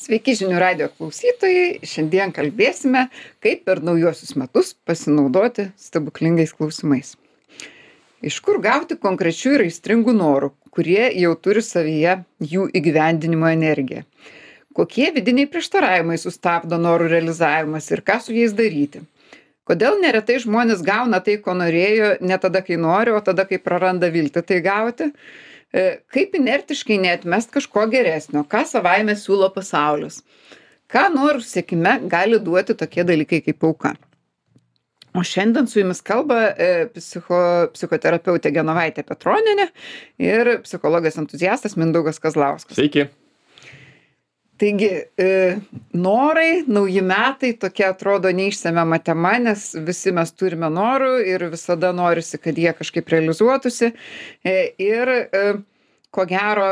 Sveiki žinių radio klausytojai. Šiandien kalbėsime, kaip per naujuosius metus pasinaudoti stebuklingais klausimais. Iš kur gauti konkrečių ir aistringų norų, kurie jau turi savyje jų įgyvendinimo energiją? Kokie vidiniai prieštaravimai sustabdo norų realizavimas ir ką su jais daryti? Kodėl neretai žmonės gauna tai, ko norėjo, ne tada, kai nori, o tada, kai praranda viltį tai gauti? Kaip inertiškai neatmest kažko geresnio, ką savaime siūlo pasaulis? Ką norų siekime gali duoti tokie dalykai kaip auka? O šiandien su jumis kalba psichoterapeutė Genovaitė Petronienė ir psichologas entuziastas Mindaugas Kazlauskas. Sveiki. Taigi, norai, nauji metai tokia atrodo neišsemiama tema, nes visi mes turime norų ir visada norisi, kad jie kažkaip realizuotųsi. Ir ko gero,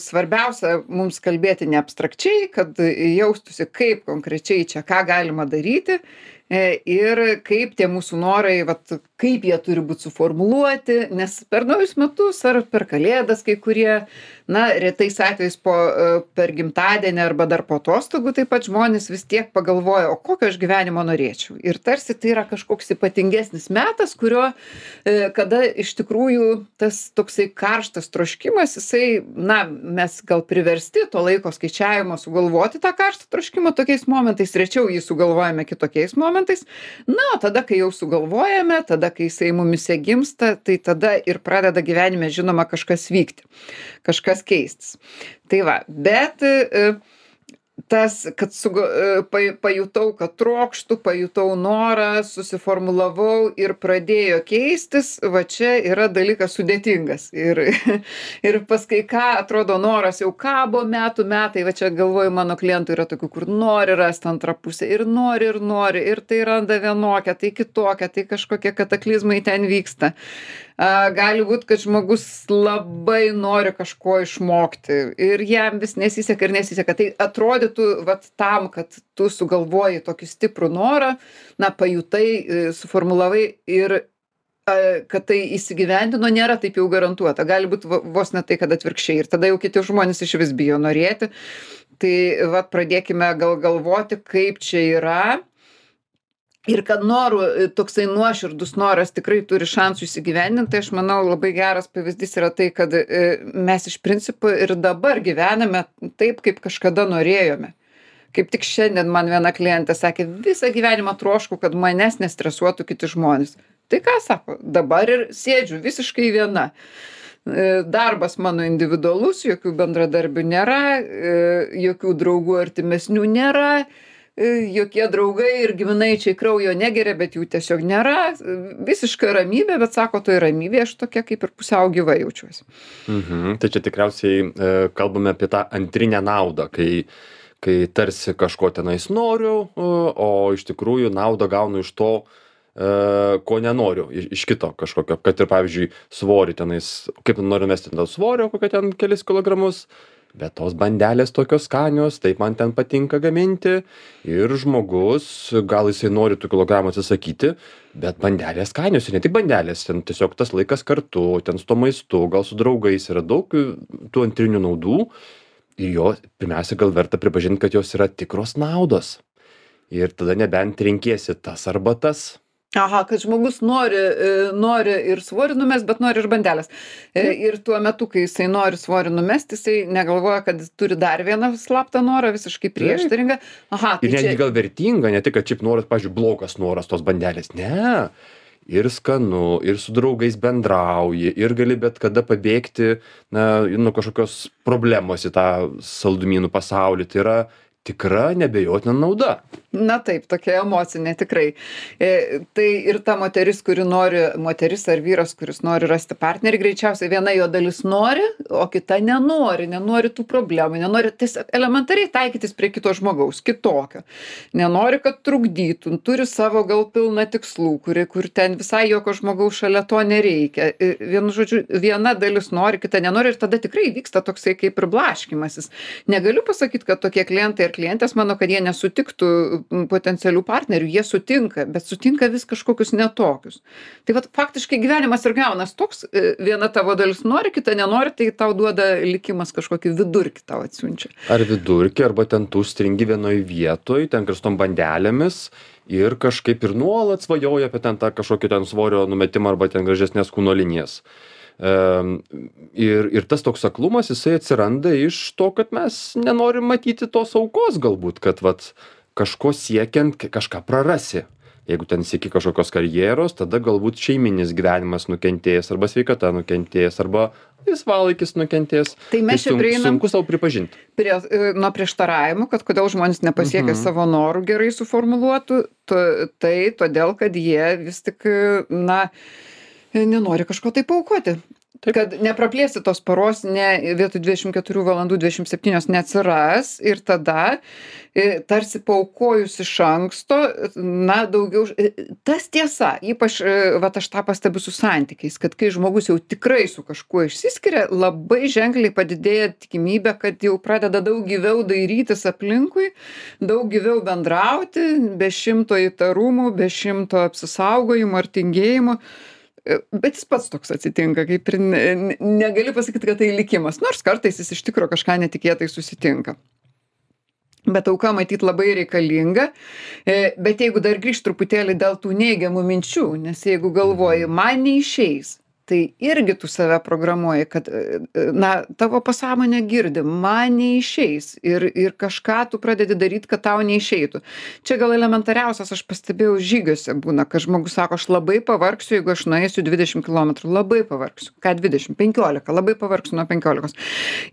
svarbiausia mums kalbėti ne abstrakčiai, kad jaustųsi kaip konkrečiai čia ką galima daryti ir kaip tie mūsų norai, vat, kaip jie turi būti suformuluoti, nes per naujus metus ar per kalėdas kai kurie, na, retais atvejais per gimtadienį arba dar po atostogų taip pat žmonės vis tiek pagalvoja, o kokio aš gyvenimo norėčiau. Ir tarsi tai yra kažkoks ypatingesnis metas, kurio, kada iš tikrųjų tas toksai karštas troškimas, jisai, na, mes gal priversti to laiko skaičiavimo sugalvoti tą karštą troškimą tokiais momentais, rečiau jį sugalvojame kitokiais momentais. Na, o tada, kai jau sugalvojame, tada, kai jisai mumise gimsta, tai tada ir pradeda gyvenime, žinoma, kažkas vykti, kažkas keistis. Tai va, bet tas, kad pajutau, kad trokštų, pajutau norą, susiformulavau ir pradėjo keistis, va čia yra dalykas sudėtingas. Ir pas kai ką atrodo noras jau kabo metai, va čia galvoju, mano klientų yra tokių, kur nori rasti antrą pusę ir nori, ir tai randa vienokią, tai kitokią, tai kažkokie kataklizmai ten vyksta. Gali būti, kad žmogus labai nori kažko išmokti ir jam vis nesiseka ir nesiseka. Tai atrodytų, vat tam, kad tu sugalvoji tokį stiprų norą, na, pajutai, suformulavai ir kad tai įsigyvendino, nėra taip jau garantuota. Gali būti vos ne tai, kad atvirkščiai. Ir tada jau kiti žmonės iš vis bijo norėti. Tai vat pradėkime galvoti, kaip čia yra. Ir kad norų, toksai nuoširdus noras tikrai turi šansų įsigyvendinti, tai aš manau labai geras pavyzdys yra tai, kad mes iš principo ir dabar gyvename taip, kaip kažkada norėjome. Kaip tik šiandien man viena klientė sakė, visą gyvenimą trošku, kad manęs nestresuotų kiti žmonės. Tai ką sako, dabar ir sėdžiu visiškai viena. Darbas mano individualus, jokių bendradarbių nėra, jokių draugų artimesnių nėra. Jokie draugai ir giminaičiai kraujo negeria, bet jų tiesiog nėra. Visiška ramybė, bet sako, toj ramybė aš tokia kaip ir pusiau gyva jaučiuosi. Tai čia tikriausiai kalbame apie tą antrinę naudą, kai tarsi kažko tenais noriu, o iš tikrųjų naudą gaunu iš to, ko nenoriu, iš kito kažkokio. Kad ir, pavyzdžiui, svorį tenais, kaip noriu mesti ten svorio, kokią ten kelis kilogramus, bet tos bandelės tokios skanios, taip man ten patinka gaminti ir žmogus, gal jisai nori tų kilogramų atsisakyti, bet bandelės skanios ir ne tik bandelės, ten tiesiog tas laikas kartu, ten su to maistu, gal su draugais yra daug tų antrinių naudų ir jo pirmiausia gal verta pripažinti, kad jos yra tikros naudos ir tada nebent renkiesi tas arba tas. Aha, kad žmogus nori ir svorį numest, bet nori ir bandelės. Ir tuo metu, kai jisai nori svorį numest, jisai negalvoja, kad turi dar vieną slaptą norą, visiškai prieštaringą. Aha, ir netgi gal vertinga, ne tik, kad šiaip noras, pavyzdžiui, blogas noras tos bandelės. Ne, ir skanu, ir su draugais bendrauji, ir gali bet kada pabėgti, nuo kažkokios problemos į tą saldumynų pasaulį. Tai yra tikra neabejotina nauda. Na taip, tokia emocinė tikrai. Tai ir ta moteris ar vyras, kuris nori rasti partnerį, greičiausiai viena jo dalis nori, o kita nenori tų problemų, nenori tiesiog elementariai taikytis prie kito žmogaus, kitokio. Nenori, kad trukdytų, turi savo gal pilną tikslų, kur ten visai jokio žmogaus šalia to nereikia. Vienu žodžiu, viena dalis nori, kita nenori ir tada tikrai vyksta toksai kaip ir blaškymasis. Negaliu pasakyti, kad tokie klientai klientės mano, kad jie nesutiktų potencialių partnerių, jie sutinka, bet sutinka vis kažkokius netokius. Tai vat faktiškai gyvenimas ir gaunas toks, viena tavo dalis nori, kita nenori, tai tau duoda likimas kažkokį vidurkį tau atsiunčia. Ar vidurkį, arba ten tu stringi vienoj vietoj, ten karstom bandelėmis ir kažkaip ir nuolat svajoja apie ten tą kažkokį ten svorio numetimą arba ten gražesnės kūno linijas. Ir tas toks aklumas, jisai atsiranda iš to, kad mes nenorim matyti tos aukos galbūt, kad vat kažko siekiant kažką prarasi. Jeigu ten sieki kažkokios karjeros, tada galbūt šeiminis gyvenimas nukentės, arba sveikata nukentės, arba laisvalaikis nukentės. Tai mes čia prieinam sunku savo pripažinti. Nuo prieštaravimų, kad kodėl žmonės nepasiekia savo norų gerai suformuluotų, tai todėl, kad jie vis tik, nenori kažko tai paaukoti. Kad nepraplėsi tos paros, vietoj 24 valandų 27 neatsiras ir tada tarsi paaukojus iš anksto, daugiau. Tas tiesa, ypač aš tą pastebiu su santykiais, kad kai žmogus jau tikrai su kažkuo išsiskiria, labai ženkliai padidėja tikimybė, kad jau pradeda daug gyviau dairytis aplinkui, daug gyviau bendrauti, be 100 įtarumų, be 100 apsisaugojimų ar tingėjimų. Bet jis pats toks atsitinka, kaip ir negali pasakyti, kad tai likimas, nors kartais jis iš tikro kažką netikėtai susitinka. Bet auka matyt labai reikalinga, bet jeigu dar grįžt truputėlį dėl tų neigiamų minčių, nes jeigu galvoji, man neišeis, tai irgi tu save programuoji, kad, tavo pasąmonė girdi, man neišeis ir kažką tu pradedi daryti, kad tau neišeitų. Čia gal elementariausias, aš pastebėjau žygiuose būna, kad žmogus sako, aš labai pavargsiu, jeigu aš nueisiu 20 km, labai pavargsiu. Ką 20? 15, labai pavargsiu nuo 15.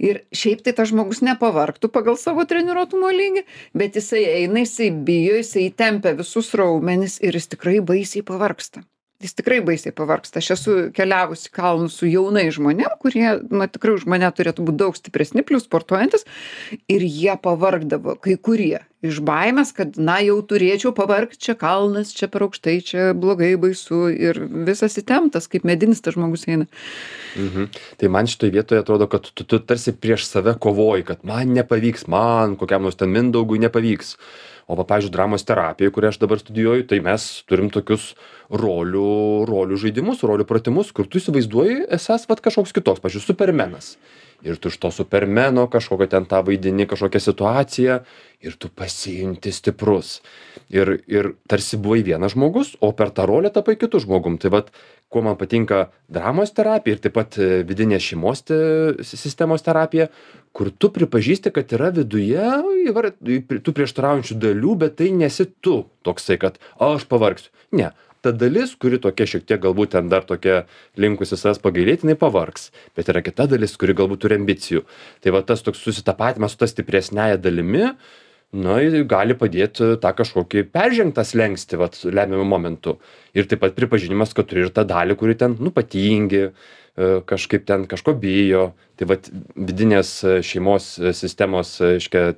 Ir šiaip tai tas žmogus nepavargtų pagal savo treniruotumo lygį, bet jisai eina, jisai bijo, jisai tempia visus raumenis ir jis tikrai baisiai pavargsta. Jis tikrai baisiai pavargsta. Aš esu keliavusi kalnus su jaunai žmonėm, kurie, tikrai už mane turėtų būti daug stipresni, plius sportuojantis, ir jie pavargdavo, kai kurie, iš baimės, kad, jau turėčiau pavargti, čia kalnas, čia per aukštai, čia blogai, baisu ir visas įtemptas, kaip medinis tas žmogus eina. Tai man šitoje vietoje atrodo, kad tu tarsi prieš save kovoji, kad man nepavyks, man kokiam nors ten Mindaugui nepavyks. O pavyzdžiui, dramos terapijoje, kurią aš dabar studijuoju, tai mes turim tokius rolių žaidimus, rolių pratimus, kur tu įsivaizduoji esas kažkoks kitoks, pavyzdžiui, supermenas. Ir tu iš to supermeno kažkokią ten tą vaidini, kažkokią situaciją ir tu pasijunti stiprus. Ir tarsi buvai vienas žmogus, o per tą rolę tapai kitu žmogum. Tai kuo man patinka dramos terapija ir taip pat vidinė šeimos sistemos terapija, kur tu pripažįsti, kad yra viduje tų prieštaraujančių dalių, bet tai nesi tu toksai, kad aš pavargsiu. Ne. Ta dalis, kuri tokia šiek tiek galbūt ten dar tokia linkusi savęs pagailėti, jinai pavargs. Bet yra kita dalis, kuri galbūt turi ambicijų. Tai tas toks susitapatimas su ta stipresnėja dalimi, gali padėti tą kažkokį peržengtą slenkstį lemiamų momentų. Ir taip pat pripažinimas, kad turi ir tą dalį, kuri ten patingi, kažkaip ten kažko bijo. Tai vidinės šeimos sistemos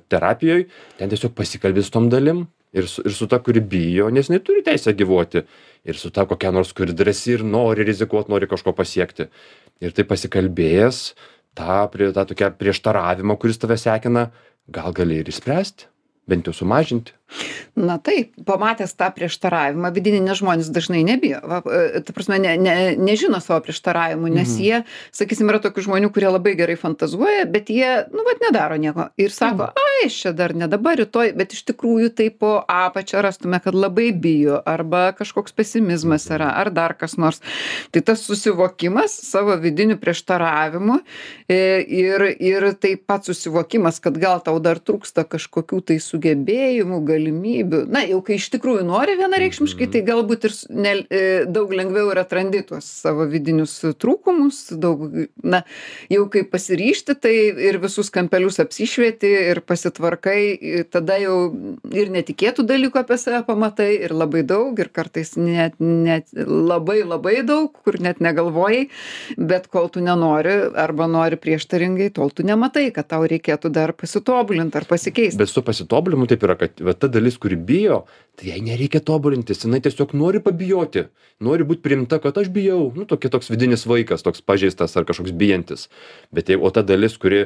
terapijoje ten tiesiog pasikalbės tom dalim. Ir su ta, kuri bijo, nes jinai turi teisę gyvuoti. Ir su ta kokia nors, kuri drąsi ir nori rizikuoti, nori kažko pasiekti. Ir tai pasikalbėjęs, tą tokią prieštaravimą, kuris tave sekina, gal gali ir išspręsti, bent jau sumažinti. Na taip, pamatęs tą prieštaravimą, vidinį, nes žmonės dažnai nebijo. Ta prasme, nežino savo prieštaravimų, nes jie, sakysim, yra tokių žmonių, kurie labai gerai fantazuoja, bet jie, nedaro nieko. Ir sako, aš čia dar ne dabar, rytoj, bet iš tikrųjų tai po apačią rastume, kad labai bijo, arba kažkoks pesimizmas yra, ar dar kas nors. Tai tas susivokimas savo vidinių prieštaravimų ir taip pat susivokimas, kad gal tau dar trūksta kažkokių tai sugebėjimų, galimybių. Jau kai iš tikrųjų nori vienareikšmiškai, tai galbūt ir daug lengviau ir atrandi tuos savo vidinius trūkumus, jau kai pasiryšti, tai ir visus kampelius apsišvieti ir pasitvarkai, tada jau ir netikėtų dalykų apie save pamatai, ir labai daug, ir kartais net labai labai daug, kur net negalvojai, bet kol tu nenori arba nori prieštaringai, tol tu nematai, kad tau reikėtų dar pasitobulinti ar pasikeisti. Bet su pasitobulinimu taip yra, kad ta dalis, kuri bijo, tai jai nereikia tobulintis, jinai tiesiog nori pabijoti, nori būti priimta, kad aš bijau, toks vidinis vaikas, toks pažeistas ar kažkoks bijantis. Bet o ta dalis, kuri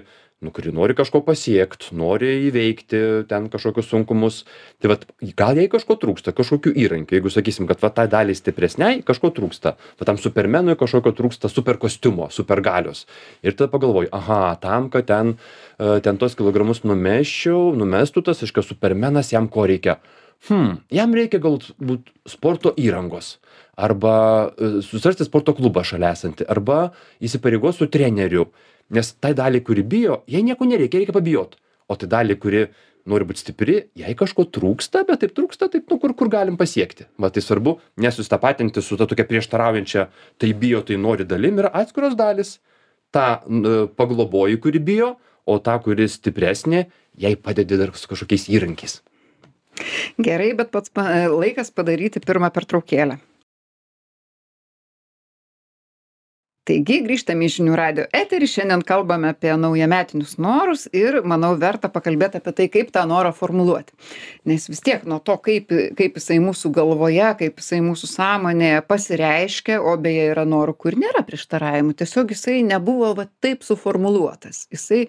kuri nori kažko pasiekt, nori įveikti ten kažkokius sunkumus. Tai vat, gal jai kažko trūksta, kažkokių įrankių. Jeigu sakysim, kad va tai daliai stipresniai kažko trūksta, va tam supermenui kažkokio trūksta super kostiumo, super galios. Ir tada pagalvoju, aha, tam, kad ten tos kilogramus numestų tas, aiškia, supermenas jam ko reikia. Jam reikia galbūt sporto įrangos. Arba susirasti sporto klubą šalia esantį. Arba įsipareigos su treneriu. Nes tai daliai, kuri bijo, jai nieko nereikia, reikia pabijot. O tai daliai, kuri nori būti stipri, jai kažko trūksta, bet taip trūksta, taip, kur galim pasiekti. Va, tai svarbu nesusitapatinti su ta tokia prieštaraujančia, tai bijo, tai nori dalim, yra atskiros dalis. Ta pagloboji, kuri bijo, o ta, kuri stipresnė, jai padedi dar su kažkokiais įrankiais. Gerai, bet pats laikas padaryti pirmą pertraukėlę. Taigi, grįžtame į Žinių radijo eterį, šiandien kalbame apie naujametinius norus ir, manau, verta pakalbėti apie tai, kaip tą norą formuluoti. Nes vis tiek nuo to, kaip jisai mūsų galvoje, kaip jisai mūsų sąmonėje pasireiškia, o beje yra norų, kur nėra prieštaravimų, tiesiog jisai nebuvo va taip suformuluotas. Jisai,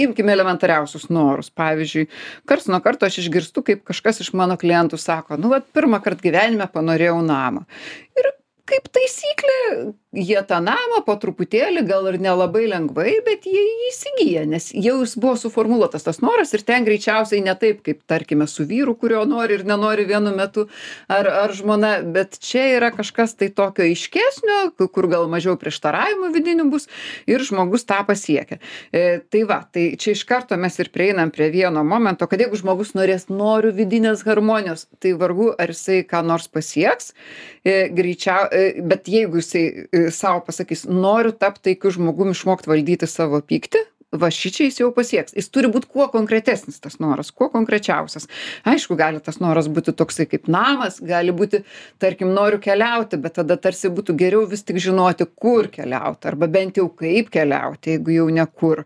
imkime elementariausius norus. Pavyzdžiui, karts nuo karto aš išgirstu, kaip kažkas iš mano klientų sako, pirmą kartą gyvenime panorėjau namą. Ir kaip taisyklė, jie tą namą po truputėlį, gal ir nelabai lengvai, bet jie jį įsigyja, nes jau jis buvo suformuluotas tas noras ir ten greičiausiai ne taip, kaip tarkime su vyru, kurio nori ir nenori vienu metu, ar žmona, bet čia yra kažkas tai tokio aiškesnio, kur gal mažiau prieštaravimų vidinių bus ir žmogus tą pasiekia. Tai čia iš karto mes ir prieinam prie vieno momento, kad jeigu žmogus noriu vidinės harmonijos, tai vargu ar jisai ką nors pasieks, bet jeigu jisai savo pasakys, noriu tapti taikiu žmogum, išmokti valdyti savo pyktį, va šičia jis jau pasieks. Jis turi būti kuo konkretesnis tas noras, kuo konkrečiausias. Aišku, gali tas noras būti toksai kaip namas, gali būti, tarkim, noriu keliauti, bet tada tarsi būtų geriau vis tik žinoti, kur keliauti, arba bent jau kaip keliauti, jeigu jau ne kur.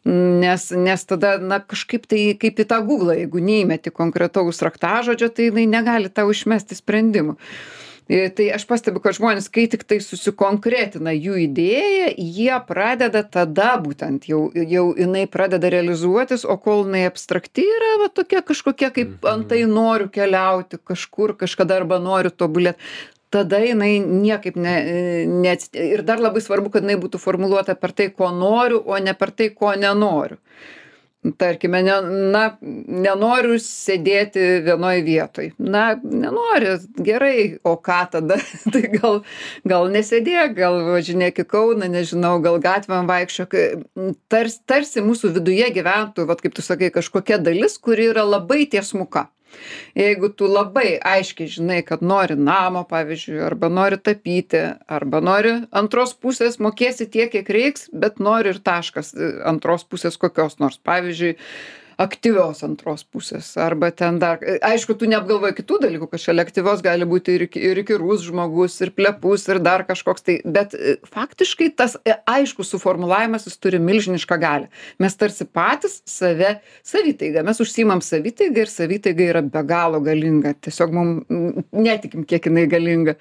Nes tada, kažkaip tai kaip į tą Google, jeigu neįmeti konkretaus raktažodžio, tai jinai negali tau išmesti sprendimų. Tai aš pastebiu, kad žmonės, kai tik tai susikonkretina jų idėją, jie pradeda tada būtent, jau jinai pradeda realizuotis, o kol jinai abstrakti yra, va tokia kažkokia, kaip antai noriu keliauti kažkur, kažkada arba noriu tobulėti, tada jinai niekaip ir dar labai svarbu, kad jinai būtų formuluota per tai, ko noriu, o ne per tai, ko nenoriu. Tarkime, nenoriu sėdėti vienoj vietoj. Nenori, gerai, o ką tada? Tai gal nesėdėk, gal važinėk į Kauną, nežinau, gal gatvėm vaikščiok. Tarsi mūsų viduje gyventų, vat kaip tu sakai, kažkokia dalis, kuri yra labai tiesmuka. Jeigu tu labai aiškiai žinai, kad nori namo, pavyzdžiui, arba nori tapyti, arba nori antros pusės, mokėsi tiek, kiek reiks, bet nori ir taškas antros pusės kokios nors, pavyzdžiui, aktyvios antros pusės, arba ten dar, aišku, tu neapgalvoji kitų dalykų, kad šalia aktyvios gali būti ir įkyrus žmogus, ir plepus, ir dar kažkoks tai, bet faktiškai tas aiškus suformulavimas, jis turi milžinišką galią. Mes tarsi patys savitaiga, mes užsiimam savitaiga ir savitaiga yra be galo galinga, tiesiog mums netikim, kiek jinai galinga.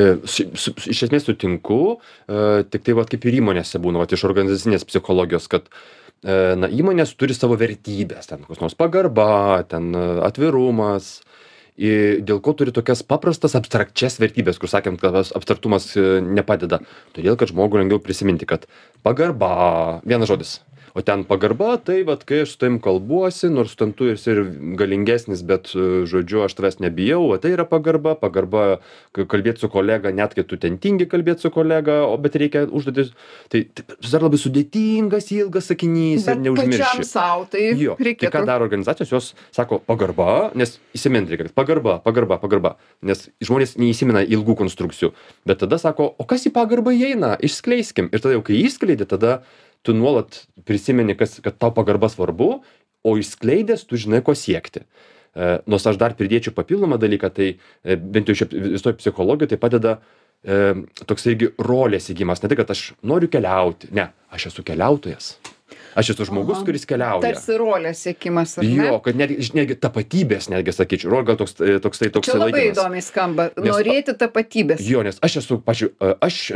Iš esmės sutinku, tik tai kaip ir įmonėse būna, iš organizacinės psichologijos, kad įmonės turi savo vertybės, ten kokios nors pagarba, ten atvirumas, dėl ko turi tokias paprastas abstrakčias vertybės, kur sakėm, kad abstraktumas nepadeda. Todėl, kad žmogui lengviau prisiminti, kad pagarba, vienas žodis. O ten pagarba, tai kai aš su tavim kalbuosi, nors ten tu esi ir galingesnis, bet, žodžiu, aš tavęs nebijau, o tai yra pagarba, kalbėti su kolega, net kai tu ten tingi kalbėti su kolega, bet reikia užduotis. Tai dar labai sudėtingas, ilgas sakinys ir neužmirši. Bet pačiam savo tai reikėtų. Tai ką daro organizacijos, jos sako pagarba, nes įsiminti reikia, pagarba, nes žmonės neįsimena ilgų konstrukcijų, bet tada sako, o kas į pagarbą įeina, išskleiskim. Ir tada jau kai išskleidė, tada tu nuolat prisimeni, kad tau pagarba svarbu, o išskleidęs tu žinai, ko siekti. Nors aš dar pridėčiau papildomą dalyką, tai bent jau visoje psichologijoje tai padeda toks irgi rolės įgymas. Ne tai, kad aš noriu keliauti, ne, aš esu keliautojas. Aš esu žmogus, kuris keliauja. Tarsi rolės siekimas, ar ne? Jo, kad netgi tapatybės, netgi sakyčiau. Rol gal toksai čia labai įdomiai skamba. Norėti tapatybės. Jo, nes aš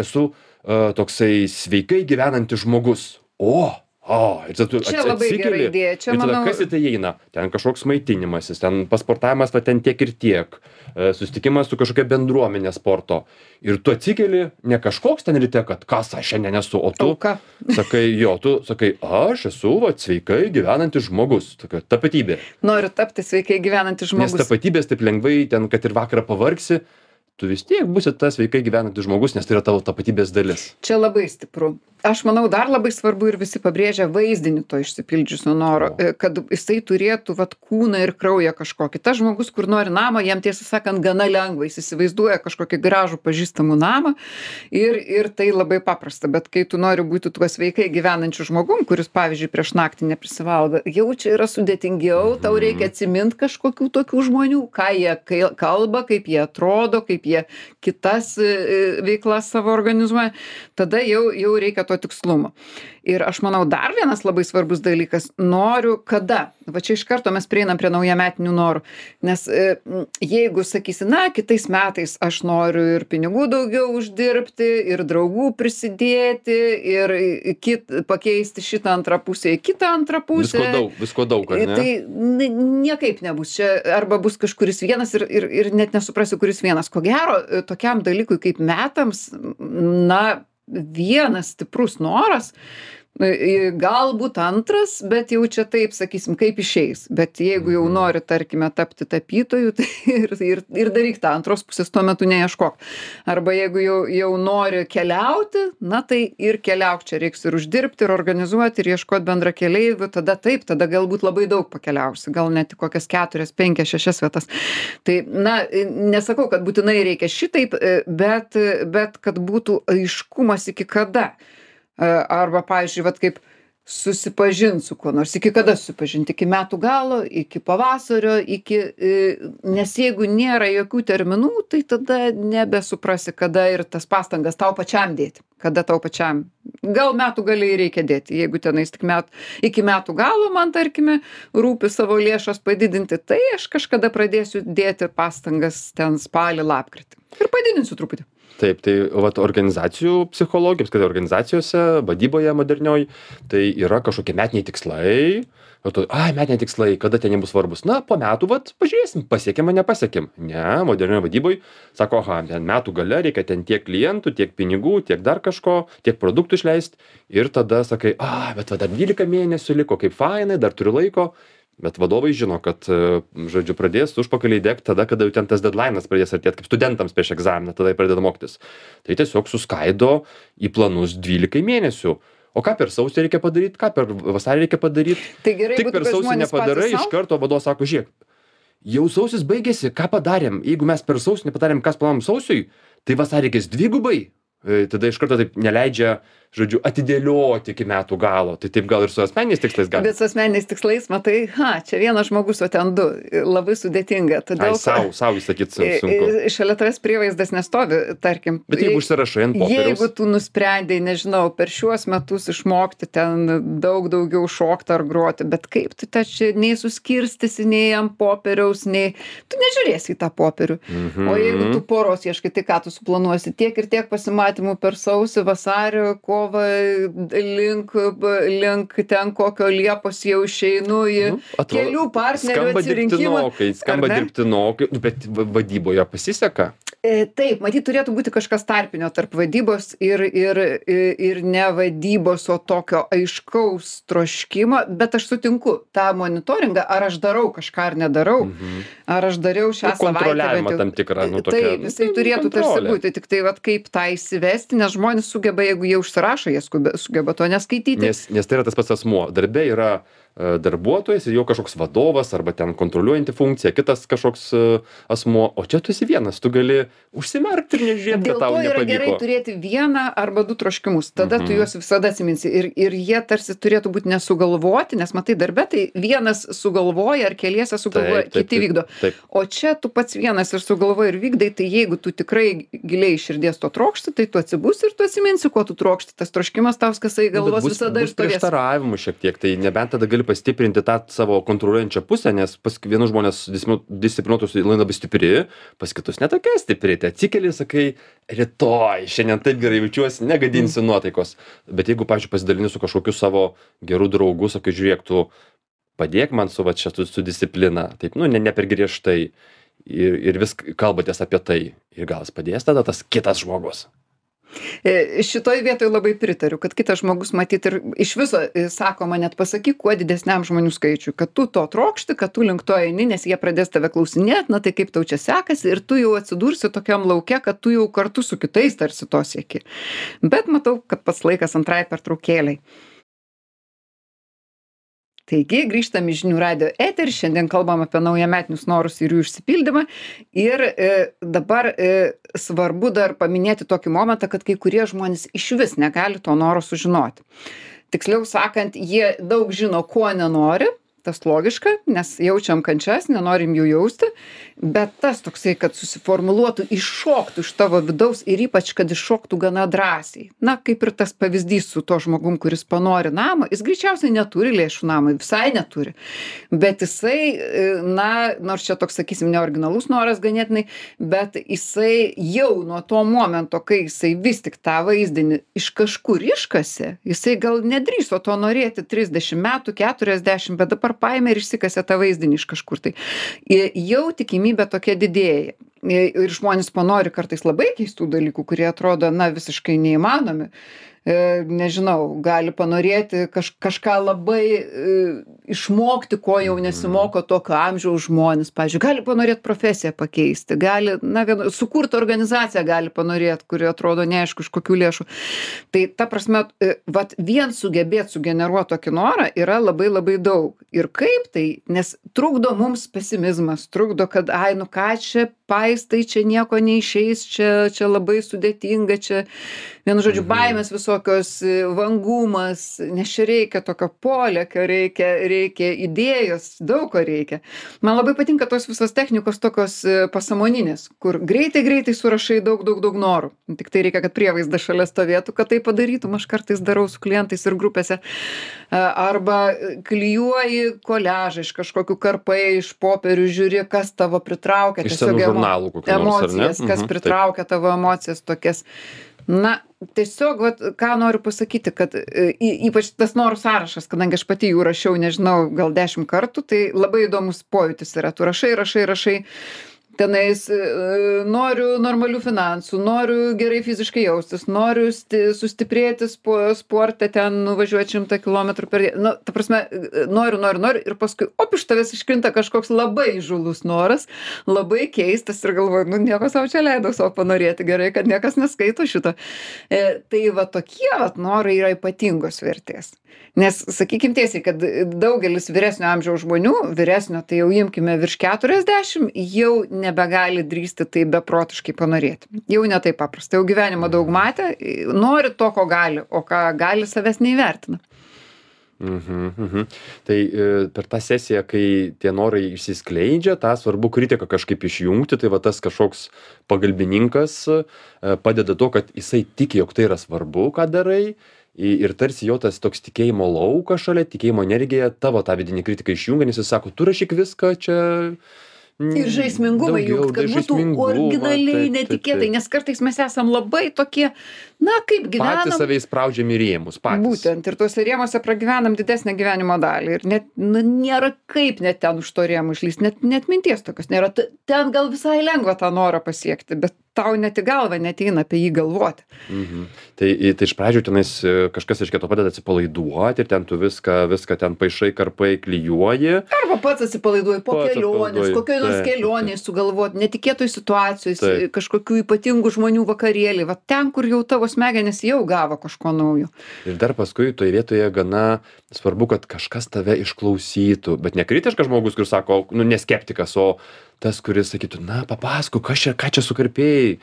esu toksai sveikai gyvenantis žmogus. O, Ir tada tu Čia labai gera atsikeli, idėja. Čia, ir tada manau, kas į tai įeina? Ten kažkoks maitinimasis, ten pasportavimas, va ten tiek ir tiek, susitikimas su kažkokia bendruomenė sporto. Ir tu atsikeli, ne kažkoks ten ryte, kad kas aš šiandien esu, o tu auka. sakai, tu sakai, aš esu va sveikai gyvenantis žmogus, tokia tapatybė. Noriu tapti sveikai gyvenantis Nes žmogus. tapatybės taip lengvai ten, kad ir vakarą pavargsi, tu vis tiek būsi tas sveikai gyvenantis žmogus, nes tai yra tavo tapatybės dalis. Čia labai stipru. Aš manau, dar labai svarbu ir visi pabrėžia vaizdinį to išsipildžiusio noro, kad jisai turėtų vat kūną ir kraują kažkokį. Tas žmogus, kur nori namo, jam tiesą sakant gana lengva, jis įsivaizduoja kažkokį gražų pažįstamų namą ir tai labai paprasta. Bet kai tu nori būti tuo sveikai gyvenančiu žmogum, kuris, pavyzdžiui, prieš naktį neprisivalgo, jau čia yra sudėtingiau, tau reikia atsimint kažkokių tokių žmonių, ką jie kalba, kaip jie atrodo, kaip jie kitas veiklas savo organizuoja. Tada jau reikia to tikslumo. Ir aš manau, dar vienas labai svarbus dalykas, noriu kada. Va čia iš karto mes prieinam prie naujametinių norų. Nes jeigu sakysi, na, kitais metais aš noriu ir pinigų daugiau uždirbti, ir draugų prisidėti, ir pakeisti šitą antrą pusę į kitą antrą pusę. Visko daug, ar ne? Tai niekaip nebus. Čia arba bus kažkuris vienas ir net nesuprasiu, kuris vienas. Ko gero, tokiam dalykui kaip metams, na, vienas stiprus noras, galbūt antras, bet jau čia taip, sakysim, kaip išeis. Bet jeigu jau nori, tarkime, tapti tapytoju, tai ir daryk tą antros pusės, tuo metu neieškok. Arba jeigu jau nori keliauti, na tai ir keliauk, čia reiks ir uždirbti, ir organizuoti, ir ieškoti bendra keleivių, tada taip, tada galbūt labai daug pakeliausi, gal net kokias 4, 5, 6 vietas. Tai, na, nesakau, kad būtinai reikia šitaip, bet kad būtų aiškumas iki kada. Arba, pavyzdžiui, vat kaip susipažint su kuo nors. Iki kada susipažinti? Iki metų galo, iki pavasario, nes jeigu nėra jokių terminų, tai tada nebesuprasi, kada ir tas pastangas tau pačiam dėti. Kada tau pačiam. Gal metų galiai reikia dėti. Jeigu tenais tik iki metų galo man, tarkime, rūpi savo lėšas padidinti, tai aš kažkada pradėsiu dėti pastangas ten spalį, lapkritį. Ir padidinsiu truputį. Taip, tai vat organizacijų psichologija, apskritai organizacijose, vadyboje modernioj, tai yra kažkokie metiniai tikslai. Metiniai tikslai, kada ten nebus svarbus? Na, po metų, pažiūrėsim, pasiekėm ar nepasiekėm. Ne, modernioje vadyboj sako, ten metų gale reikia ten tiek klientų, tiek pinigų, tiek dar kažko, tiek produktų išleisti. Ir tada sakai, bet dar 12 mėnesių liko, kaip fainai, dar turiu laiko. Bet vadovai žino, kad, žodžiu, pradės užpakaliai degti tada, kada jau ten tas deadline'as pradės artėti, kaip studentams prieš egzaminą, tada jie pradeda mokytis. Tai tiesiog suskaido į planus 12 mėnesių. O ką per sausį reikia padaryti, ką per vasarį reikia padaryti? Tai gerai, tik per sausį nepadarai, iš karto vadovas sako, žiūrėk, jau sausis baigėsi, ką padarėm? Jeigu mes per sausį nepadarėm, kas planavom sausiui, tai vasarį reikės dvigubai. Tada iš karto taip neleidžia, žodžiu, atidėlioti iki metų galo. Tai taip gal ir su asmeniniais tikslais gali. Bet su asmeniniais tikslais, matai, čia vienas žmogus, o ten du. Labai sudėtinga. Todėl, sau įsakyt sunku. Šalia tavęs prievaizdas nestovi, tarkim. Bet jeigu užsirašai ant popieriaus. Jeigu tu nusprendei, nežinau, per šiuos metus išmokti ten daug daugiau šokti ar groti, bet kaip tu čia nei suskirstysi, nei ant popieriaus, nei... Tu nežiūrėsi į tą popierių. O jeigu tu poros ieškai, tai ką tu suplanuosi? Tiek ir tiek pasimatymų per sausį, vasario, kovą, link ten kokio Liepos jau išeinu į kelių partnerių atsirinkimą. Skamba dirbtinokai, bet vadyboje pasiseka. Taip, matyt, turėtų būti kažkas tarpinio tarp vadybos ir ne vadybos, o tokio aiškaus troškimo, bet aš sutinku tą monitoringą, ar aš darau kažką ar nedarau, ar aš dariau šią savaitę. Kontroliavimą tam tikrą, tokia. Taip, jisai turėtų tarsi būti, tik tai kaip tą įsivesti, nes žmonės sugeba, jeigu jie užsirašo, jie sugeba to neskaityti. Nes tai yra tas pats asmuo. Darbe yra darbuotojas ir jau kažkoks vadovas arba ten kontroliuojanti funkcija, kitas kažkoks asmuo, o čia tu esi vienas, tu gali užsimerkti ir nežiūrėti, kad tau nepavyko. Dėl to yra gerai turėti vieną arba du troškimus, tada tu juos visada atsiminsi ir jie tarsi turėtų būti nesugalvoti, nes matai darbe, tai vienas sugalvoja ar keliese sugalvoja, kiti vykdo. O čia tu pats vienas ir sugalvoji ir vykdai, tai jeigu tu tikrai giliai iš širdies to trokšti, tai tu atsibusi ir tu atsiminsi, ko tu trokšti, tas troškimas tau skasai galvos visada ir stovės. Prieštaravimų šiek tiek, tai nebent tada gali gali pastiprinti tą savo kontroliuojančią pusę, nes pas vienus žmonės disciplinuotus labai stipri, pas kitus ne tokia stipri. Tai atsikeli, sakai, rytoj, šiandien taip gerai jaučiuosi, negadinsiu nuotaikos. Bet jeigu, pavyzdžiui, pasidalini su kažkokiu savo geru draugu, sakai, žiūrėk, tu padėk man su su disciplina, taip, ne per griežtai. Ir vis kalbatės apie tai. Ir gal jis padės tada tas kitas žmogus. Šitoj vietoj labai pritariu, kad kitas žmogus matyt ir iš viso sakoma net pasakyk kuo didesniam žmonių skaičiui, kad tu to trokšti, kad tu link to eini, nes jie pradės tave klausinėti, na tai kaip tau čia sekasi ir tu jau atsidursi tokiam lauke, kad tu jau kartu su kitais tarsi to sieki. Bet matau, kad pats laikas antrai pertraukėlei. Taigi, grįžtam į žinių radijo eterį, šiandien kalbam apie naujametinius norus ir jų išsipildymą. Ir dabar svarbu dar paminėti tokį momentą, kad kai kurie žmonės išvis negali to noro sužinoti. Tiksliau sakant, jie daug žino, ko nenori, tas logiška, nes jaučiam kančias, nenorim jų jausti, bet tas toksai, kad susiformuluotų, iššoktų iš tavo vidaus ir ypač, kad iššoktų gana drąsiai. Na, kaip ir tas pavyzdys su to žmogum, kuris panori namą, jis greičiausiai neturi lėšų namui, visai neturi. Bet jisai, na, nors čia toks, sakysim, neoriginalus noras ganėtinai, bet jisai jau nuo to momento, kai jisai vis tik tą vaizdinį iš kažkur iškasė, jisai gal nedrįso to norėti 30 metų, 40, bet dabar paėmė ir išsikasė tą vaizdinį iš kažkur. Tai jau tikimybė tokia didėja. Ir žmonės panori kartais labai keistų dalykų, kurie atrodo, na, visiškai neįmanomi. Nežinau, gali panorėti kažką labai išmokti, ko jau nesimoko tokio amžiaus žmonės. Pavyzdžiui, gali panorėti profesiją pakeisti, gali, na, sukurti organizaciją gali panorėti, kuri atrodo neaišku iš kokių lėšų. Tai ta prasme, vat vien sugebėti sugeneruoti tokį norą yra labai labai daug. Ir kaip tai, nes trukdo mums pesimizmas, trukdo, kad, ai, nu ką čia paistai, čia nieko neišeis, čia labai sudėtinga, čia, vienu žodžiu, baimės visokios, vangumas, nes čia reikia tokio polėkio, reikia idėjos, daug ko reikia. Man labai patinka tos visos technikos tokios pasąmoninės, kur greitai surašai daug norų. Tik tai reikia, kad prievaizdas šalia stovėtų, kad tai padarytum. Aš kartais darau su klientais ir grupėse. Arba klijuoji koliažą iš kažkokių karpai, iš popierių, žiūri, kas tavo pritraukia. Iš senų žurnalų kokių nors, ar ne? Emocijas, kas pritraukia tavo emocijas tokias. Na, tiesiog, vat, ką noriu pasakyti, kad ypač tas norų sąrašas, kadangi aš pati jų rašiau, nežinau, gal 10 kartų, tai labai įdomus pojūtis yra. Tu rašai, tenais noriu normalių finansų, noriu gerai fiziškai jaustis, noriu sustiprėti sporte, ten nuvažiuoti 100 km per dieną. Nu, ta prasme, noriu ir paskui, iš tavęs iškrinta kažkoks labai įžūlus noras, labai keistas ir galvoju, nu nieko savo čia leidau savo panorėti, gerai, kad niekas neskaito šito. Tai va tokie norai yra ypatingos vertės. Nes, sakykim tiesiai, kad daugelis vyresnio amžiaus žmonių, vyresnio, tai jau imkime virš 40, jau nebegali drįsti tai beprotiškai panorėti. Jau ne taip paprasta, jau gyvenimą daug matę, nori to, ko gali, o ką gali, savęs neįvertina. Tai per tą sesiją, kai tie norai išsiskleidžia, tą svarbu kritiką kažkaip išjungti, tai va tas kažkoks pagalbininkas padeda to, kad jisai tiki, jog tai yra svarbu, ką darai. Ir tarsi jo tas toks tikėjimo laukas šalia, tikėjimo energija, tavo tą vidinį kritiką išjungia, nes jis sako, tu rašyk viską čia. Ir žaismingumą jungt, kad būtų originaliai, netikėtai, nes kartais mes esam labai tokie, na, kaip gyvenam. Patys save įspraudžiam į rėmus, patys. Būtent, ir tuose rėmuose pragyvenam didesnę gyvenimo dalį. Ir net, nėra kaip net ten už to rėmų išlysti, net minties tokios nėra. Ten gal visai lengva tą norą pasiekti, bet tau net į galvą neteina apie jį galvoti. Tai iš pradžių tenais kažkas iš kito padeda atsipalaiduoti ir ten tu viską ten paišai, karpai, klijuoji. Arba pats atsipalaiduoji po kelionės, kokioj nors kelionėj sugalvoti, netikėtoj situacijoj, kažkokių ypatingų žmonių vakarėlį, va ten, kur jau tavo smegenys jau gavo kažko naujo. Ir dar paskui toje vietoje gana svarbu, kad kažkas tave išklausytų, bet ne kritiškas žmogus, kuris sako, nu, ne skeptikas, o tas, kuris sakytų, na, papasakok, ką čia sukarpėjai.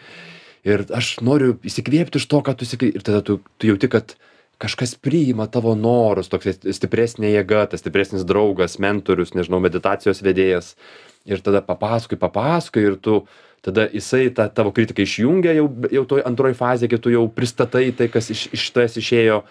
Ir aš noriu įsikvėpti iš to, ką tu sakai. Ir tada tu jauti, kad kažkas priima tavo norus, toks stipresnė jėga, tas stipresnis draugas, mentorius, nežinau, meditacijos vedėjas. Ir tada papasakoji ir tu, tada jisai tą tavo kritiką išjungia jau toj antroji fazė, kai tu jau pristatai tai, kas iš tavęs išėjo.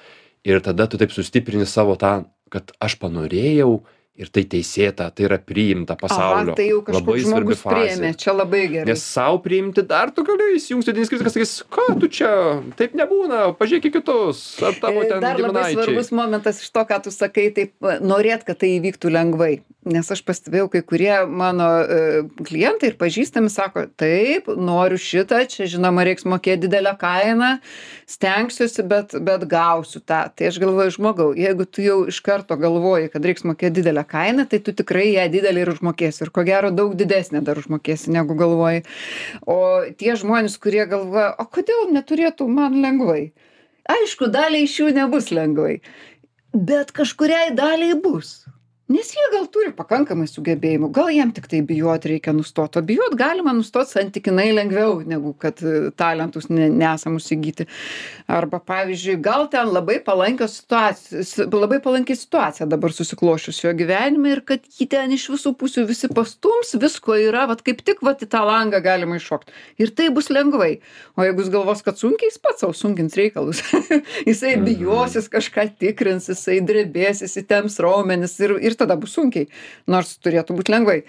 Ir tada tu taip sustiprini savo tą kad aš panorėjau ir tai teisėta, tai yra priimta pasaulio. Tai jau kažkoks žmogus priėmė, čia labai gerai. Nes sau priimti dar tu gali įsijungti vidinis kritikas, sakys, ką tu čia, taip nebūna, pažiūrėk į kitus, ar tavo ten Dar labai giminaičiai. svarbus momentas iš to, ką tu sakai, taip norėt, kad tai įvyktų lengvai. Nes aš pastebėjau, kai kurie mano klientai ir pažįstami sako, taip, noriu šitą, čia žinoma reiks mokėti didelę kainą, stengsiuosi, bet gausiu tą. Tai aš galvoju, žmogau, jeigu tu jau iš karto galvoji, kad reiks mokėti didelę kainą, tai tu tikrai ją didelį ir užmokėsi. Ir ko gero daug didesnė dar užmokėsi, negu galvoji. O tie žmonės, kurie galvoja, o kodėl neturėtų man lengvai? Aišku, daliai iš jų nebus lengvai, bet kažkuriai daliai bus. Nes jie gal turi pakankamai sugebėjimų, gal jiem tik tai bijot reikia nustot, o bijot galima nustot santykinai lengviau, negu kad talentus nesamus įgyti. Arba, pavyzdžiui, gal ten labai palanki situacija dabar susiklošius jo gyvenime ir kad jį ten iš visų pusių visi pastums, visko yra, vat kaip tik vat į tą langą galima iššokti. Ir tai bus lengvai. O jeigu jis galvos, kad sunkiai, jis pats savo sunkins reikalus. Jisai bijosis, kažką tikrins, jisai drebės, įsitemps raumenis ir tada bus sunkiai, nors turėtų būti lengvai.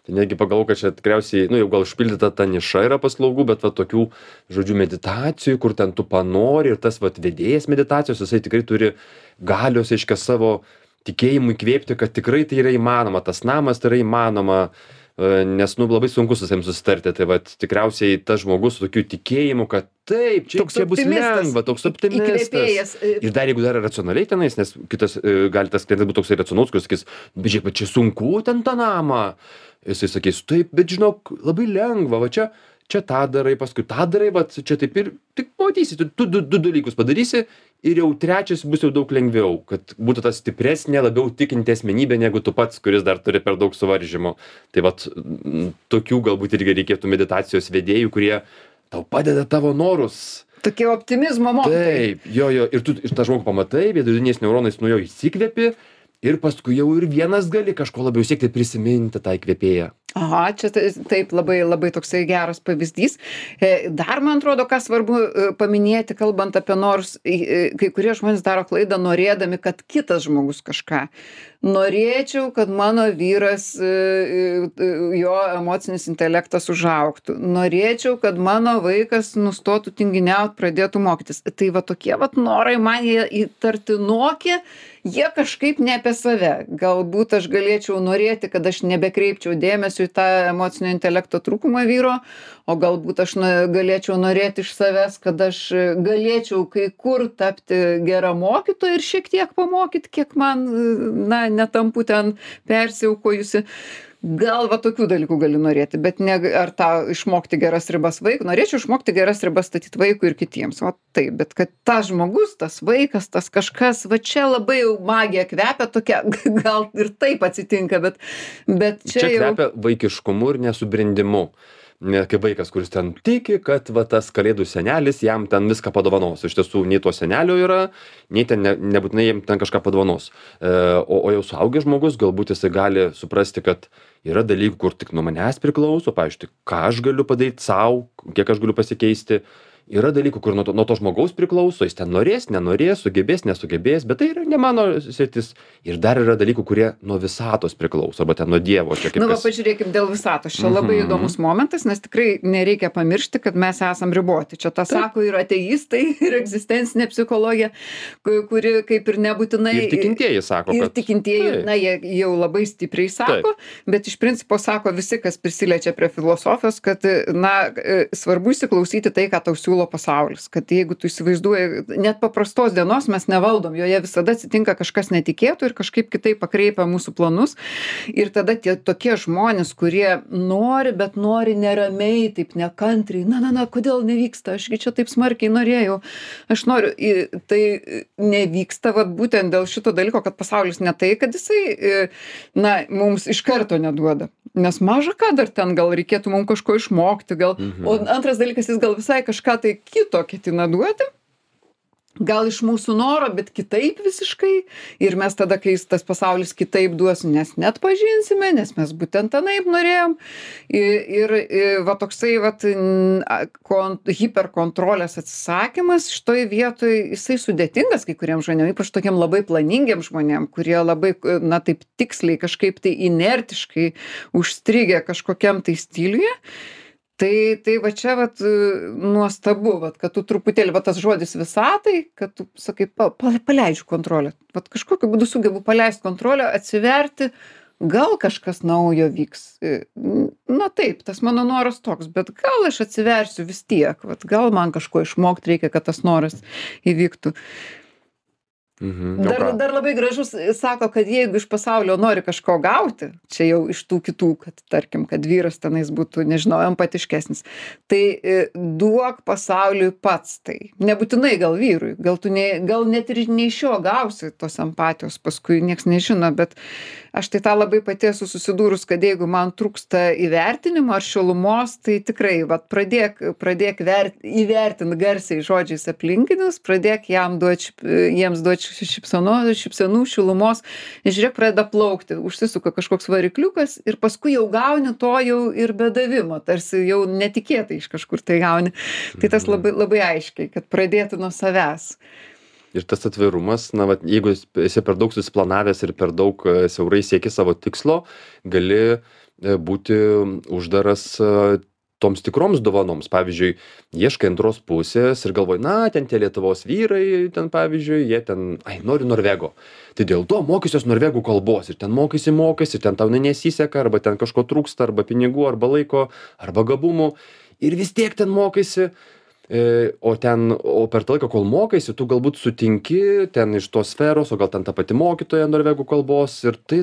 Tai negi pagalvoju, kad čia tikriausiai, jau gal užpildyta ta niša yra paslaugų, bet tokių, žodžiu, meditacijų, kur ten tu panori ir tas vedėjas meditacijos, jisai tikrai turi galios, aiškia, savo tikėjimui įkvėpti, kad tikrai tai yra įmanoma, tas namas tai yra įmanoma, nes, labai sunku su savim susitarti, tai tikriausiai tas žmogus su tokiu tikėjimu, kad taip, čia bus lengva, toks optimistas. Ir dar jeigu dar racionaliai tenais, nes kitas gali tas klientas būti toksai racionalus, kuris sakys, bet žiūrėk, čia sunku ten tą namą. Jisai sakys, taip, bet žinok, labai lengva, va čia tą darai, paskui tą darai, va čia taip ir tik matysi, tu du dalykus padarysi ir jau trečias bus jau daug lengviau, kad būtų ta stipresnė, labiau tikinti asmenybė negu tu pats, kuris dar turi per daug suvaržymų. Tai tokių galbūt irgi reikėtų meditacijos vedėjų, kurie tau padeda tavo norus. Tokie optimizmo mokytojai. Taip, jo, ir tu tą žmogų pamatai, viduriniais neuronais nuo jo įsikvėpi ir paskui jau ir vienas gali kažko labiau siekti prisiminti tą įkvėpėją. Aha, čia taip labai toksai geras pavyzdys. Dar, man atrodo, ką svarbu paminėti, kalbant apie norus, kai kurie žmonės daro klaidą norėdami, kad kitas žmogus kažką. Norėčiau, kad mano vyras, jo emocinis intelektas užaugtų. Norėčiau, kad mano vaikas nustotų tinginiaut, pradėtų mokytis. Tai tokie norai man jie įtartinokie, jie kažkaip ne apie save. Galbūt aš galėčiau norėti, kad aš nebekreipčiau dėmesio į tą emocinio intelekto trūkumą vyro, o galbūt aš galėčiau norėti iš savęs, kad aš galėčiau kai kur tapti gera mokytoja ir šiek tiek pamokyti, kiek man, netampu ten persiaukojusi. Gal tokių dalykų gali norėti, bet ne ar tą išmokti geras ribas vaikui. Norėčiau išmokti geras ribas statyti vaikui ir kitiems. Taip, bet kad tas žmogus, tas vaikas, tas kažkas, čia labai jau magija kvepia tokia, gal ir taip atsitinka, bet čia jau... kvepia vaikiškumu ir nesubrendimu. Kaip vaikas, kuris ten tiki, kad tas kalėdų senelis jam ten viską padovanos. Iš tiesų, nei to senelio yra, nei ten nebūtinai jam ten kažką padovanos. O jau suaugęs žmogus, galbūt jisai gali suprasti, kad yra dalykų, kur tik nuo manęs priklauso, pavyzdžiui, ką aš galiu padaryti sau, kiek aš galiu pasikeisti. Yra dalykų, kur nuo to žmogaus priklauso, jis ten norės, nenorės, sugebės, nesugebės, bet tai yra ne mano sritis. Ir dar yra dalykų, kurie nuo visatos priklauso, arba ten nuo Dievo. Pažiūrėkim dėl visatos. Čia labai įdomus momentas, nes tikrai nereikia pamiršti, kad mes esam riboti. Čia tą sako ir ateistai, ir egzistencinė psichologija, kuri kaip ir nebūtinai... Ir tikintieji sako, kad... Ir tikintieji, jie jau labai stipriai sako, bet iš principo sako visi, kas prisiliečia prie filosofijos, kad, svarbu įsiklausyti tai, ką tau siūlo pasaulis, kad jeigu tu įsivaizduoji, net paprastos dienos mes nevaldom, joje visada atsitinka kažkas netikėtų ir kažkaip kitaip pakreipia mūsų planus. Ir tada tie tokie žmonės, kurie nori, bet nori neramiai, taip nekantriai, kodėl nevyksta, ašgi čia taip smarkiai norėjau, aš noriu, tai nevyksta būtent dėl šito dalyko, kad pasaulis ne tai, kad jisai, mums iš karto neduoda. Nes maža ką dar ten gal reikėtų mums kažko išmokti, gal. O antras dalykas, jis gal visai kažką tai kito ketina duoti. gal iš mūsų noro, bet kitaip visiškai. Ir mes tada, kai tas pasaulis kitaip duos, nes net pažinsime, nes mes būtent tanaip norėjom. Ir va toksai vat, hiperkontrolės atsisakymas šitoj vietoj, jisai sudėtingas kai kuriem žmonėm, ypač tokiem labai planingiem žmonėm, kurie labai, na taip tiksliai, kažkaip tai inertiškai užstrigę kažkokiam tai stiliuje. Tai va čia vat nuostabu, vat, kad tu truputėlį, va tas žodis visatai, kad tu sakai, paleidžiu kontrolę. Vat kažkokiu būdu sugebu paleisti kontrolę, atsiverti, gal kažkas naujo vyks. Na taip, tas mano noras toks, bet gal aš atsiversiu vis tiek, vat, gal man kažko išmokti reikia, kad tas noras įvyktų. Dar labai gražus sako, kad jeigu iš pasaulio nori kažko gauti, čia jau iš tų kitų, kad tarkim, kad vyras tenais būtų, nežinau, empatiškesnis, tai duok pasauliui pats tai. Nebūtinai gal vyrui, gal net ir ne iš jo gausi tos empatijos, paskui nieks nežino, bet aš tai tą labai pati esu susidūrus, kad jeigu man trūksta įvertinimo ar šilumos, tai tikrai vat, pradėk įvertinti garsiai žodžiais aplinkinius, pradėk jiems duoti šypsenų, šilumos, žiūrėk, pradeda plaukti, užsisuka kažkoks varikliukas ir paskui jau gauni to jau ir be davimo, tarsi jau netikėtai iš kažkur tai gauni. Tai tas labai, labai aiškiai, kad pradėtų nuo savęs. Ir tas atvirumas, na, vat, jeigu esi per daug susiplanavęs ir per daug siaurai sieki savo tikslo, gali būti uždaras toms tikroms dovanoms. Pavyzdžiui, ieškai antros pusės ir galvoji, na, ten tie Lietuvos vyrai, ten pavyzdžiui, jie ten, nori Norvego. Tai dėl to mokysiuos norvegų kalbos ir ten mokysi, ir ten tau nesiseka, arba ten kažko trūksta, arba pinigų, arba laiko, arba gabumų. Ir vis tiek ten mokysi. O per tą laiką, kol mokaisi, tu galbūt sutinki ten iš tos sferos, o gal ten ta pati mokytoja norvegų kalbos ir tai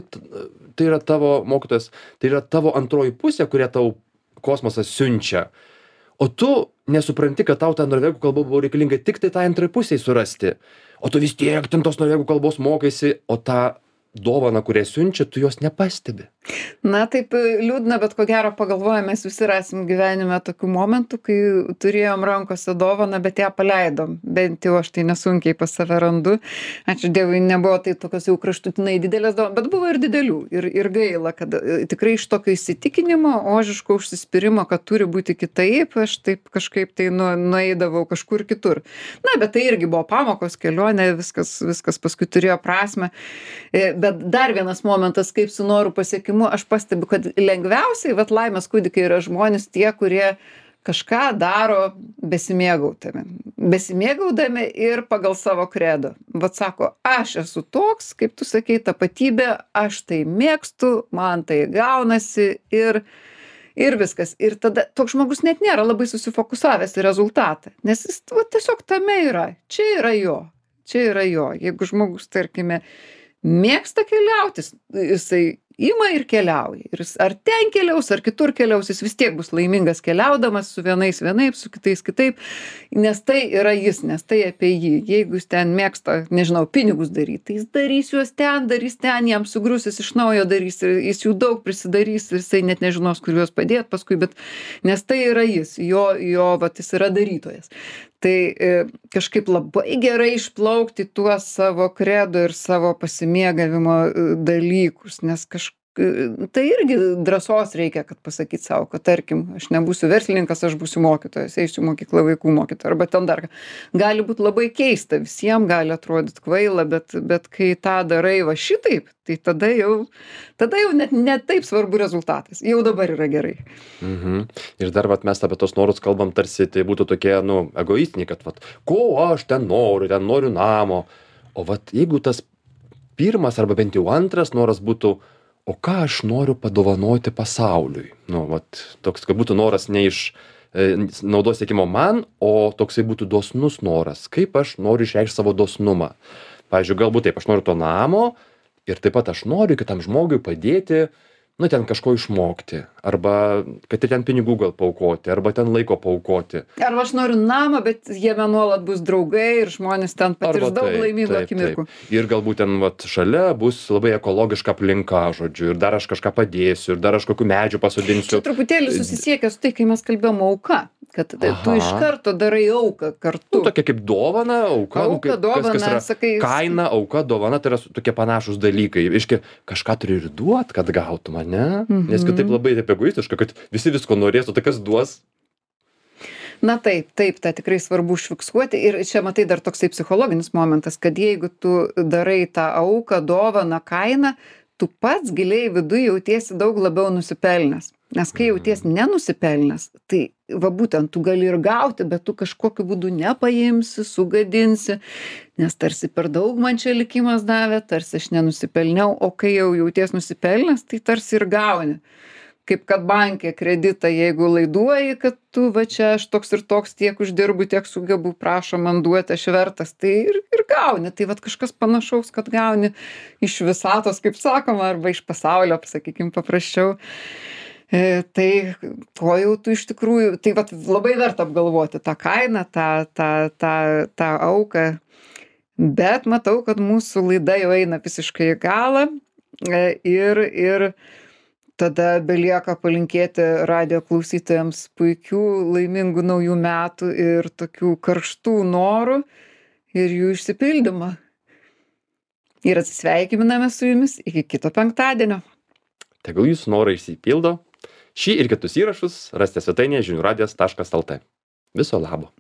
yra tavo mokytojas, tai yra tavo antroji pusė, kurią tau kosmosas siunčia. O tu nesupranti, kad tau ta norvegų kalba buvo reikalinga tik tai tai antrai pusiai surasti. O tu vis tiek ten tos norvegų kalbos mokaisi, o tą dovaną, kurią siunčia, tu jos nepastebi. Na, taip liūdna, bet ko gero pagalvoja, mes visi rasim gyvenime tokių momentų, kai turėjom rankose dovaną, bet ją paleidom. Bent jau aš tai nesunkiai pas save randu. Ačiū Dievui, nebuvo tai tokios jau kraštutinai didelės dovanos, bet buvo ir didelių. Ir gaila, kad tikrai iš tokio įsitikinimo, ožiško užsispyrimo, kad turi būti kitaip, aš taip kažkaip tai nueidavau kažkur kitur. Na, bet tai irgi buvo pamokos, kelionė, viskas paskui turėjo prasmę. Bet dar vienas momentas, kaip su noru pasiekimu, aš pastebiu, kad lengviausiai, vat laimės kūdikiai yra žmonės tie, kurie kažką daro besimėgaudami ir pagal savo kredo. Vat sako, aš esu toks, kaip tu sakei, tapatybė, aš tai mėgstu, man tai gaunasi ir viskas. Ir tada toks žmogus net nėra labai susifokusavęs į rezultatą, nes jis tiesiog tame yra. Čia yra jo. Jeigu žmogus, tarkime, mėgsta keliauti, jisai ima ir keliauja. Ir ar ten keliaus, ar kitur keliaus, jis vis tiek bus laimingas keliaudamas, su vienais vienaip, su kitais kitaip, nes tai yra jis, nes tai apie jį. Jeigu jis ten mėgsta, nežinau, pinigus daryti, tai jis darys juos ten, jam sugrius, jis iš naujo darys, jis jų daug prisidarys, jisai net nežinos, kur juos padėti paskui, bet nes tai yra jis, vat jis yra darytojas. Tai kažkaip labai gerai išplaukti tuos savo kredo ir savo pasimėgavimo dalykus, nes tai irgi drąsos reikia, kad pasakyti savo, kad tarkim, aš nebūsiu verslininkas, aš būsiu mokytojas, eisiu mokyklą vaikų mokytoja, arba ten dar. Gali būti labai keista, visiems gali atrodyti kvaila, bet kai tą darai va šitaip, tai tada jau net taip svarbu rezultatas. Jau dabar yra gerai. Ir dar mes apie tos norus kalbam, tarsi tai būtų tokie, egoistiniai, kad ko aš ten noriu namo. O jeigu tas pirmas arba bent jau antras noras būtų, o ką aš noriu padovanoti pasauliui? Toks, kad būtų noras ne iš naudos siekimo man, o toksai būtų dosnus noras. Kaip aš noriu išreikšti savo dosnumą? Pavyzdžiui, galbūt taip, aš noriu to namo ir taip pat aš noriu kitam žmogui padėti, ten kažko išmokti, arba kad ir ten pinigų gal paaukoti, arba ten laiko paaukoti. Arba aš noriu namą, bet jame nuolat bus draugai ir žmonės ten patirs daug laimingų akimirkų. Ir galbūt ten šalia bus labai ekologiška aplinka, žodžiu, ir dar aš kažką padėsiu, ir dar aš kokių medžių pasodinsiu. Čia truputėlį susisiekia su tai, kai mes kalbėjom auka, kad tu iš Aha. karto darai auką kartu. Tokia kaip dovana, auka, nu, Auka, kaip, dovana, kas yra sakai, kaina, auka, dovana, tai yra tokie panašūs dalykai. Reiškia, kažką turi ir duot, kad gautum, ane? Nes kitaip labai taip egoistiška, kad visi visko norės, o tai kas duos? Na taip, tą tikrai svarbu užfiksuoti. Ir čia matai dar toksai psichologinis momentas, kad jeigu tu darai tą auką, dovaną, kainą, tu pats giliai viduj jautiesi daug labiau nusipelnęs. Nes kai jauties nenusipelnęs, tai va būtent tu gali ir gauti, bet tu kažkokiu būdu nepaimsi, sugadinsi, nes tarsi per daug man čia likimas davė, tarsi aš nenusipelniau, o kai jau jauties nusipelnęs, tai tarsi ir gauni. Kaip kad bankė kreditą, jeigu laiduoji, kad tu va čia aš toks ir toks tiek uždirbu, tiek sugebu, prašo man duoti, aš vertas, tai ir gauni. Tai va kažkas panašaus, kad gauni iš visatos, kaip sakoma, arba iš pasaulio, sakykim, paprasčiau. Tai ko jau tu iš tikrųjų, tai va labai verta apgalvoti tą kainą, tą auką. Bet matau, kad mūsų laida jau eina visiškai į galą ir tada belieka palinkėti radijo klausytojams puikių, laimingų naujų metų ir tokių karštų norų ir jų išsipildymą. Ir atsisveikiname su jumis iki kito penktadienio. Tegul jūsų norai išsipildo. Šį ir kitus įrašus rasite svetainėje žiniųradijas.lt. Viso labo.